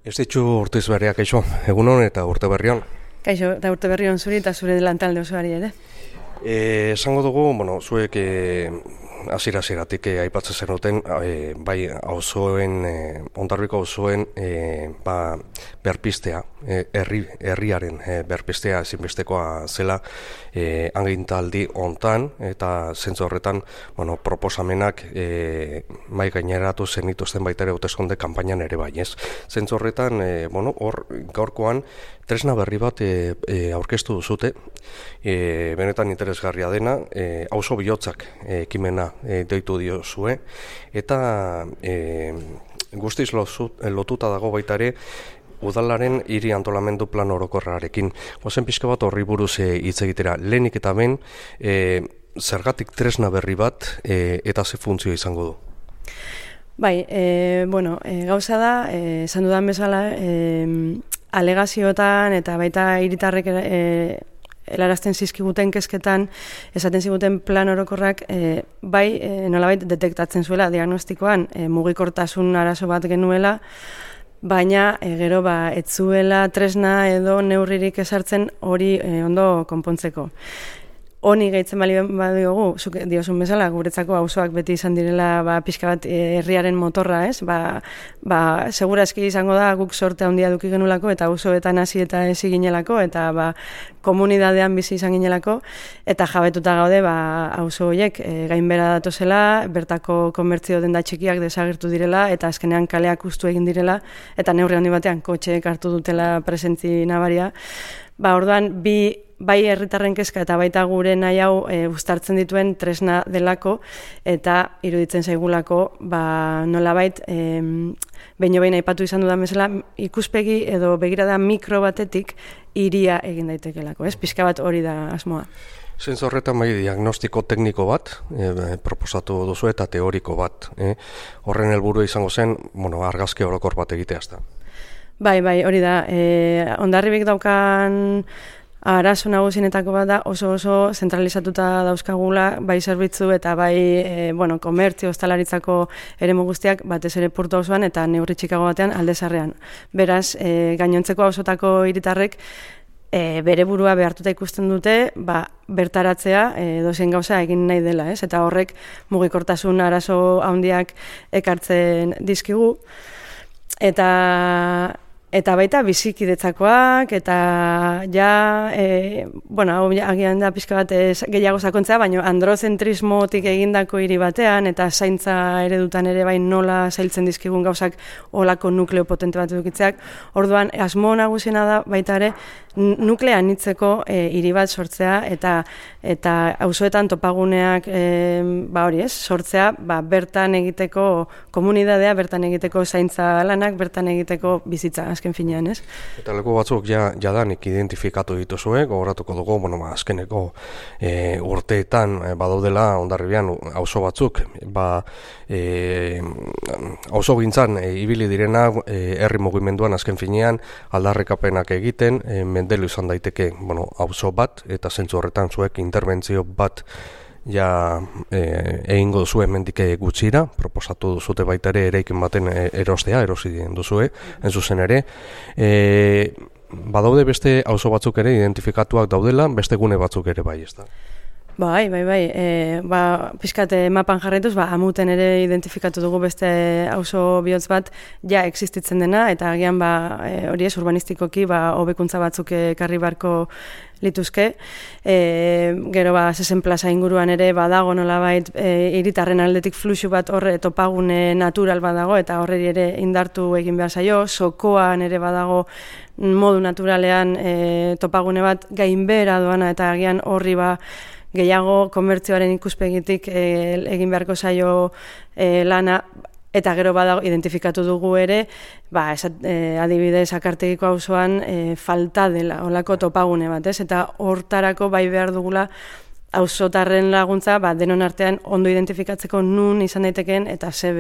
Ez ditu urtez berriak, kaixo, egunon eta urte berrion. Kaixo, eta urte berrion zuri eta zure lantalde osoari ere. Esango dugu, zuek hasieratik aipatzen zenuten, bai auzoen, Hondarribiko auzoen berpistea, herriaren berpistea ezinbestekoa zela agintaldi hontan, eta zentzu horretan proposamenak mai gaineratu zenituzten baita ere hauteskunde kanpainan ere bai, ez? Zentzu horretan, hor gaurkoan tresna berri bat aurkeztu duzute, benetan interesgarria dena, auzo bihotzak ekimena deitu diozue, eta guztiz lotuta dago baita ere udalaren hiri antolamendu plan orokorrarekin. Gozen pixka bat horri buruz hitz egitera, lehenik eta ben, zergatik tresna berri bat eta ze funtzio izango du? Bai, gauza da, esan dudan bezala, alegazioetan eta baita hiritarrek helarazten zizkiguten kezketan, esaten ziguten plan orokorrak nolabait detektatzen zuela diagnostikoan mugikortasun arazo bat genuela, baina gero ez zuela tresna edo neurririk ezartzen hori ondo konpontzeko. Honi gehitzen bali badiogu, zuk diozun bezala, guretzako auzoak beti izan direla pixka bat herriaren motorra, ez? Segura eski izango da guk sorte handia duki genulako, eta auzoetan hasi eta ezi ginelako, eta komunidadean bizi izan ginelako, eta jabetuta gaude auzo horiek gainbera datozela, bertako komertzio denda txikiak desagertu direla, eta azkenean kaleak hustu egin direla, eta neurri handi batean kotxeek hartu dutela presentzi nabaria. Orduan, bai herritarren kezka eta baita gure nahi hau uztartzen dituen tresna delako, eta iruditzen zaigulako nolabait behin aipatu izan dudan bezala ikuspegi edo begirada mikro batetik hiria egin daitekelako, ez? Pixka bat hori da asmoa. Zentzu horretan bai diagnostiko tekniko bat proposatu duzu eta teoriko bat. Horren helburua izango zen, argazki orokor bat egitea ezta. Bai, hori da. Hondarribik daukan arazo nagusienetako bat da oso zentralizatuta dauzkagula, bai zerbitzu eta bai komertzio, ostalaritzako eremu guztiak batez ere Portu auzoan eta neurri txikago batean Alde Zaharrean. Beraz, gainontzeko auzotako hiritarrek bere burua behartuta ikusten dute, bertaratzea dozen gauza egin nahi dela, ez? Eta horrek mugikortasun arazo handiak ekartzen dizkigu. Eta baita bizikidetzakoak, eta hau agian da pixka bat gehiago sakontzea, baina androzentrismotik egindako hiri batean, eta zaintza eredutan ere bai nola zailtzen dizkigun gauzak olako nukleo potente bat edukitzeak. Orduan, asmo nagusiena da baita ere nuklea anitzeko hiri bat sortzea, eta auzoetan topaguneak sortzea, bertan egiteko komunidadea, bertan egiteko zaintza lanak, bertan egiteko bizitza, azken finean, ez? Eta leku batzuk jadanik identifikatu dituzue, gogoratuko dugu, azkeneko urteetan badaudela Hondarribian auzo batzuk, auzo gintzan ibili direna herri mugimenduan azken finean aldarrikapenak egiten, mendelu izan daiteke auzo bat, eta zentzu horretan zuek interbentzio bat egingo duzue hemendik gutxira, proposatu duzute baita ere eraikin baten erostea, erosi duzue, zuzen ere. Badaude beste auzo batzuk ere identifikatuak daudela, beste gune batzuk ere bai, ezta? Bai. Pixkat mapan jarraituz, Amuten ere identifikatu dugu beste auzo bihotz bat existitzen dena, eta agian hori ez urbanistikoki hobekuntza batzuk ekarri beharko lituzke. Gero Zezen plaza inguruan ere badago nolabait hiritarren aldetik fluxu bat horre topagune natural badago, eta horreri ere indartu egin behar zaio. Sokoan ere badago modu naturalean topagune bat gainbehera doana, eta agian horri gehiago komertzioaren ikuspegitik egin beharko zaio lana, eta gero badago identifikatu dugu ere, adibidez Akartegiko auzoan falta dela, olako topagune bat, ez? Eta hortarako bai behar dugula auzotarren laguntza denon artean ondo identifikatzeko nun izan daitekeen eta ze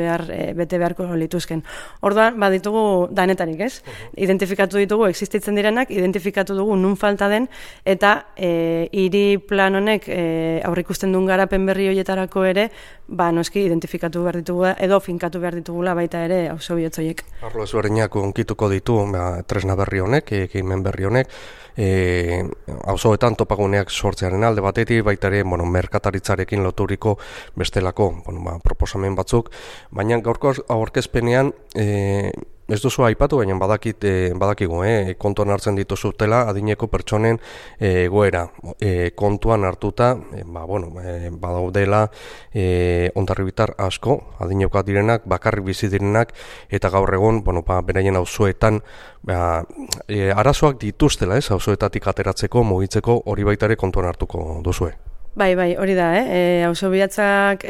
bete beharko lituzken. Orduan, ditugu danetarik, ez? Identifikatu ditugu existitzen direnak, identifikatu dugu nun falta den, eta hiri plan honek aurrikusten duen garapen berri horietarako ere, noski identifikatu behar ditugu edo finkatu behar ditugula baita ere auzo bihotz horiek. Arlo ezberdinak unkituko ditu tresna berri honek, ekimen berri honek, auzoetan topaguneak sortzearen alde batetik, baita ere, merkataritzarekin loturiko bestelako proposamen batzuk, baina gaurko aurkezpenean ez duzu aipatu, baina badakigu, kontuan hartzen dituzutela adineko pertsonen egoera. Kontuan hartuta, badaudela hondarribitar asko, adinekoak direnak, bakarrik bizi direnak, eta gaur egun, beraien auzoetan arazoak dituztela, auzoetatik ateratzeko, mugitzeko, hori baita ere kontuan hartuko duzue. Bai, hori da, auzo bihatzak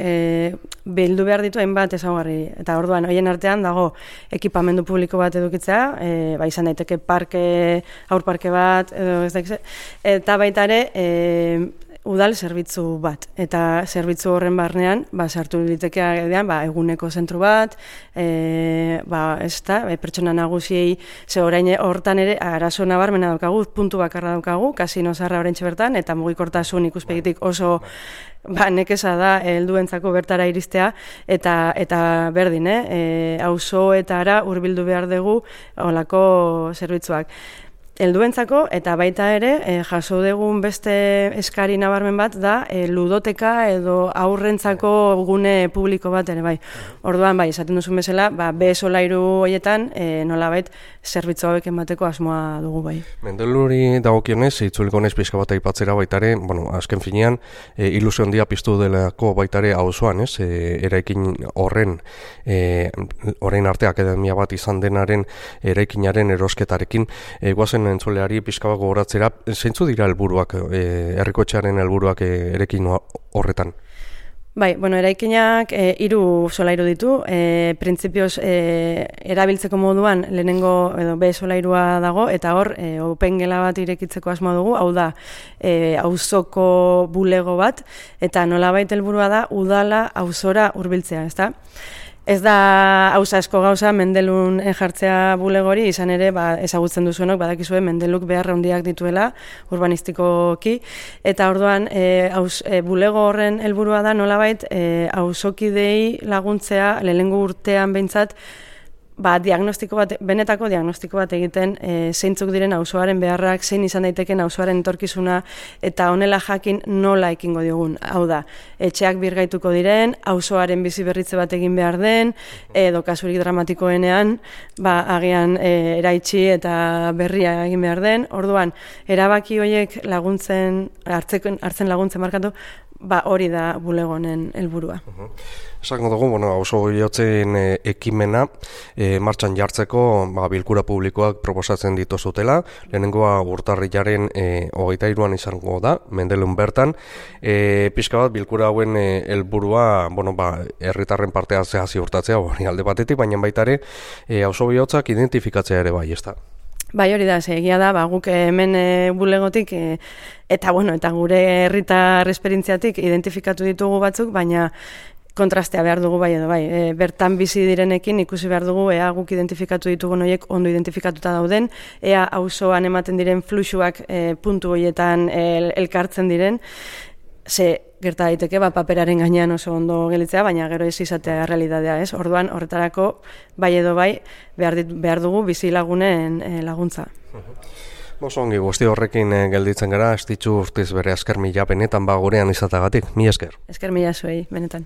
bildu behar ditu hainbat ezaugarri. Eta orduan, horien artean dago ekipamendu publiko bat edukitzea, izan daiteke haur parke bat, eta baita ere udal zerbitzu bat. Eta zerbitzu horren barnean, sartu litekea eguneko zentru bat, pertsona nagusiei, ze orain hortan ere arazo nabarmena daukagu, puntu bakarra daukagu, kasino zarra oraintxe bertan, eta mugikortasun ikuspegitik oso nekeza da helduentzako bertara iristea, eta berdin, auzoetara hurbildu behar dugu holako zerbitzuak. Helduentzako eta baita ere jaso dugun beste eskari nabarmen bat da ludoteka edo aurrentzako gune publiko bat ere bai. Orduan esaten duzun bezala, B solairu horietan nolabait zerbitzu hauek emateko asmoa dugu bai. Mendeluri dagokionez, itzuliko naiz pixka bat aipatzera baita ere, azken finean ilusio handia piztu delako baita ere auzoan, eraikin horren orain arte akademia bat izan denaren eraikinaren erosketarekin guazen entzuleari pixka bat gogoratzera, zeintzu dira helburuak, herrikotxearen helburuak erekin horretan? Eraikinak 3 solairu ditu, printzipioz erabiltzeko moduan lehenengo edo B solairua dago, eta hor open gela bat irekitzeko asmoa dugu, hau da auzoko bulego bat, eta nolabait helburua da udala auzora hurbiltzea, ezta? Ez da asko gauza Mendelun jartzea bulegori, izan ere ezagutzen duzuenok badakizue Mendeluk behar handiak dituela urbanistikoki, eta orduan bulego horren helburua da nolabait auzokidei laguntzea lehenengo urtean behintzat benetako diagnostiko bat egiten zeintzuk diren auzoaren beharrak, zein izan daiteken auzoaren etorkizuna, eta honela jakin nola ekingo diogun. Hau da, etxeak birgaituko diren, auzoaren bizi berritze bat egin behar den, edo kasurik dramatikoenean, agian eraitsi eta berria egin behar den. Orduan, erabaki horiek hartzen laguntzen markatu, hori da bulegonen helburua. Esango dugu, auzo bihotzen ekimena martxan jartzeko bilkura publikoak proposatzen dituzutela. Lehenengoa urtarrilaren 23an izango da, Mendelun bertan. Pixka bat bilkura hauen helburua, herritarren partea ziurtatzea hori alde batetik, baina baita ere auzo bihotzak identifikatzea ere bai, ezta? Hori da, egia da, guk hemen bulegotik eta gure herritar esperientziatik identifikatu ditugu batzuk, baina kontrastea behar dugu bai edo bai. Bertan bizi direnekin ikusi behar dugu ea guk identifikatu ditugun horiek ondo identifikatuta dauden, ea auzoan ematen diren fluxuak puntu horietan elkartzen diren, ze gerta daiteke paperaren gainean oso ondo gelitzea, baina gero ez izatea realitatea, ez? Orduan horretarako bai edo bai behar dugu bizi lagunen laguntza. Ongi, guzti horrekin gelditzen gara, ez ditzu urtiz bere esker mila benetan gurean izatagatik. Mila esker. Esker mila zuei, benetan.